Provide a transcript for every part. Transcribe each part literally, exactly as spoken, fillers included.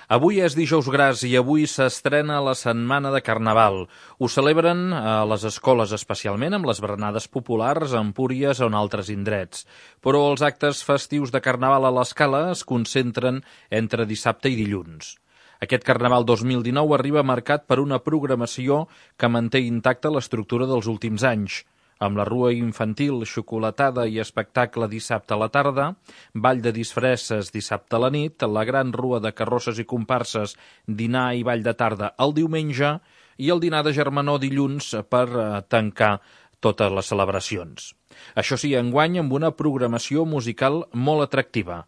Avui és dijous gras i avui s'estrena la Setmana de Carnaval. Ho celebren a les escoles especialment amb les berenades populars a Empúries o en altres indrets. Però els actes festius de Carnaval a l'Escala es concentren entre dissabte i dilluns. Aquest Carnaval dos mil dinou arriba marcat per una programació que manté intacta l'estructura dels últims anys, amb la rua infantil, xocolatada i espectacle dissabte a la tarda, ball de disfresses dissabte a la nit, la gran rua de carrosses i comparses, dinar i ball de tarda el diumenge i el dinar de germanor dilluns per tancar totes les celebracions. Això sí, enguany amb una programació musical molt atractiva.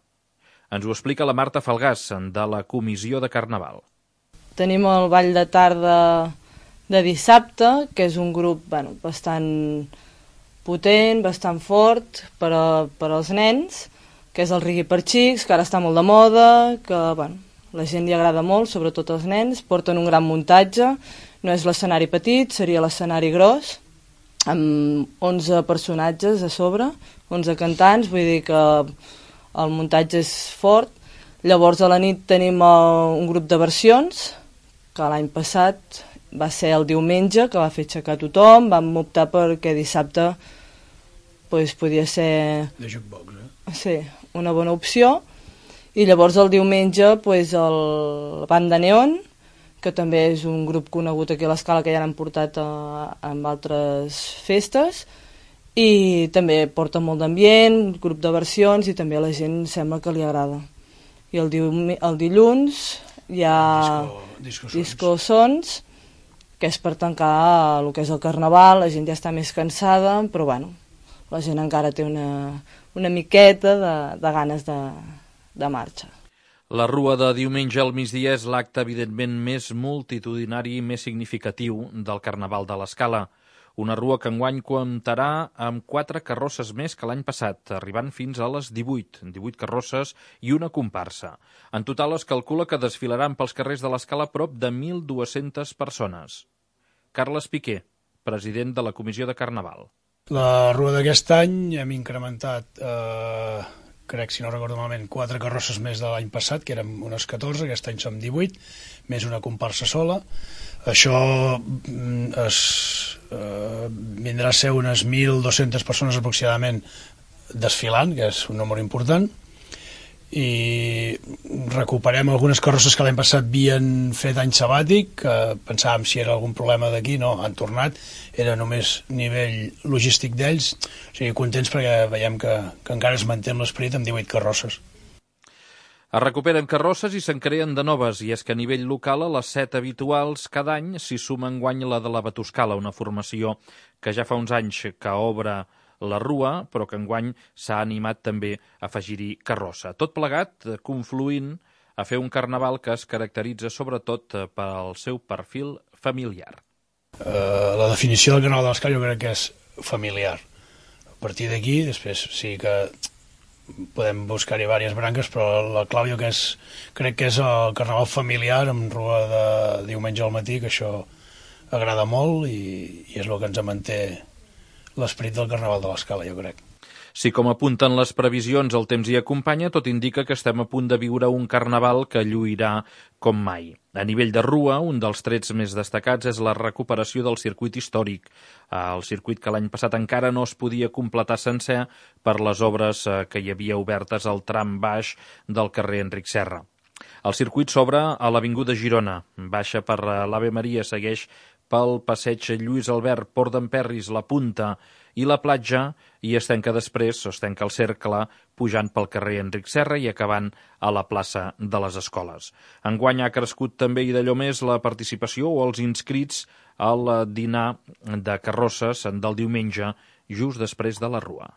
Ens ho explica la Marta Falgàs, de la Comissió de Carnaval. Tenim el ball de tarda de dissabte, que és un grup bueno, bastant potent, bastant fort per, a, per als nens, que és el Reggae per Xics, que ara està molt de moda, que bueno, la gent li agrada molt, sobretot els nens, porten un gran muntatge, no és l'escenari petit, seria l'escenari gros, amb onze personatges a sobre, onze cantants, vull dir que el muntatge és fort. Llavors a la nit tenim un grup de versions, que l'any passat va ser el diumenge, que va fer aixecar tothom, vam optar perquè dissabte pues, podia ser de jukebox, eh? Sí, una bona opció. I llavors el diumenge pues, el Banda Neon, que també és un grup conegut aquí a l'Escala, que ja l'han portat a, amb altres festes, i també porta molt d'ambient, grup de versions, i també a la gent sembla que li agrada. I el, el dilluns hi ha disco, disco, disco sons, que és per tancar el que és el Carnaval. La gent ja està més cansada, però bueno, la gent encara té una, una miqueta de, de ganes de, de marxa. La rua de diumenge al migdia és l'acte evidentment més multitudinari i més significatiu del Carnaval de l'Escala. Una rua que enguany comptarà amb quatre carrosses més que l'any passat, arribant fins a les divuit, divuit carrosses i una comparsa. En total es calcula que desfilaran pels carrers de l'Escala prop de mil dues-centes persones. Carles Piqué, president de la Comissió de Carnaval. La rua d'aquest any hem incrementat, eh, crec, si no recordo malament, quatre carrosses més de l'any passat, que érem unes catorze, aquest any som divuit, més una comparsa sola. Això es, eh, vindrà a ser unes mil dues-centes persones aproximadament desfilant, que és un número important, i recuperem algunes carrosses que l'any passat havien fet any sabàtic, que pensàvem si era algun problema d'aquí, no, han tornat, era només nivell logístic d'ells, o sigui, contents perquè veiem que, que encara es manté l'esperit amb divuit carrosses. Es recuperen carrosses i se'n creen de noves, i és que a nivell local a les set habituals cada any s'hi suma enguany la de la Batuscala, una formació que ja fa uns anys que obre la rua, però que enguany s'ha animat també a afegir-hi carrossa. Tot plegat confluint a fer un carnaval que es caracteritza sobretot pel seu perfil familiar. Uh, la definició del Carnaval de l'Escala jo crec que és familiar. A partir d'aquí, després sí que podem buscar-hi diverses branques, però la clau jo que és, crec que és el carnaval familiar amb rua de diumenge al matí, que això agrada molt i, i és el que ens manté l'esperit del Carnaval de l'Escala, jo crec. Si com apunten les previsions el temps hi acompanya, tot indica que estem a punt de viure un carnaval que lluirà com mai. A nivell de rua, un dels trets més destacats és la recuperació del circuit històric, el circuit que l'any passat encara no es podia completar sencer per les obres que hi havia obertes al tram baix del carrer Enric Serra. El circuit s'obre a l'Avinguda Girona, baixa per l'Ave Maria, segueix pel passeig Lluís Albert, Port d'en Perris, la Punta i la platja, i es tanca després, o es tanca el cercle, pujant pel carrer Enric Serra i acabant a la plaça de les Escoles. Enguany ha crescut també i d'allò més la participació o els inscrits al dinar de carrosses del diumenge, just després de la rua.